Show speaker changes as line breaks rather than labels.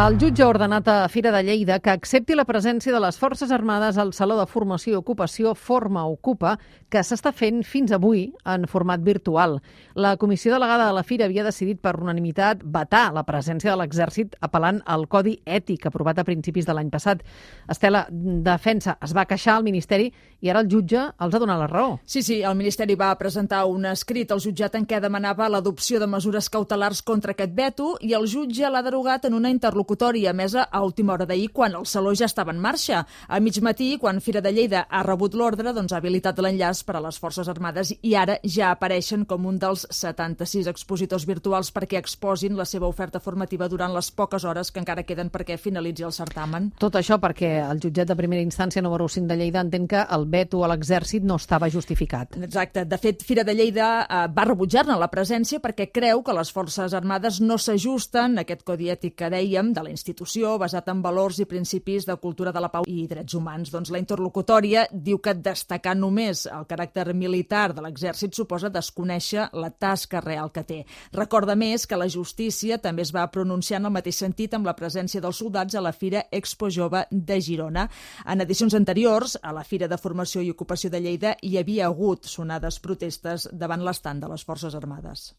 El jutge ha ordenat a Fira de Lleida que accepti la presència de les Forces Armades al Saló de Formació i Ocupació Forma Ocupa, que s'està fent fins avui en format virtual. La comissió delegada de la Fira havia decidit per unanimitat vetar la presència de l'Exèrcit apel·lant al Codi Ètic aprovat a principis de l'any passat. Estela, Defensa es va queixar al Ministeri i ara el jutge els ha donat la raó.
Sí, el Ministeri va presentar un escrit al jutjat en què demanava l'adopció de mesures cautelars contra aquest veto i el jutge l'ha derogat en una interlocutòria emesa a última hora d'ahir, quan el Saló ja estava en marxa. A mig matí, quan Fira de Lleida ha rebut l'ordre, ha habilitat l'enllaç per a les Forces Armades i ara ja apareixen com un dels 76 expositors virtuals perquè exposin la seva oferta formativa durant les poques hores que encara queden perquè finalitzi el certamen.
Tot això perquè el jutjat de primera instància número 5 de Lleida entén que el veto a l'Exèrcit no estava justificat.
Exacte. De fet, Fira de Lleida va rebutjar-ne la presència perquè creu que les Forces Armades no s'ajusten a aquest codi ètic que dèiem de la institució, basat en valors i principis de cultura de la pau i drets humans. Doncs la interlocutòria diu que destacar només el caràcter militar de l'Exèrcit suposa desconèixer la tasca real que té. Recorda més que la justícia també es va pronunciar en el mateix sentit amb la presència dels soldats a la Fira Expo Jove de Girona. En edicions anteriors, a la Fira de Formació i Ocupació de Lleida hi havia hagut sonades protestes davant l'estand de les Forces Armades.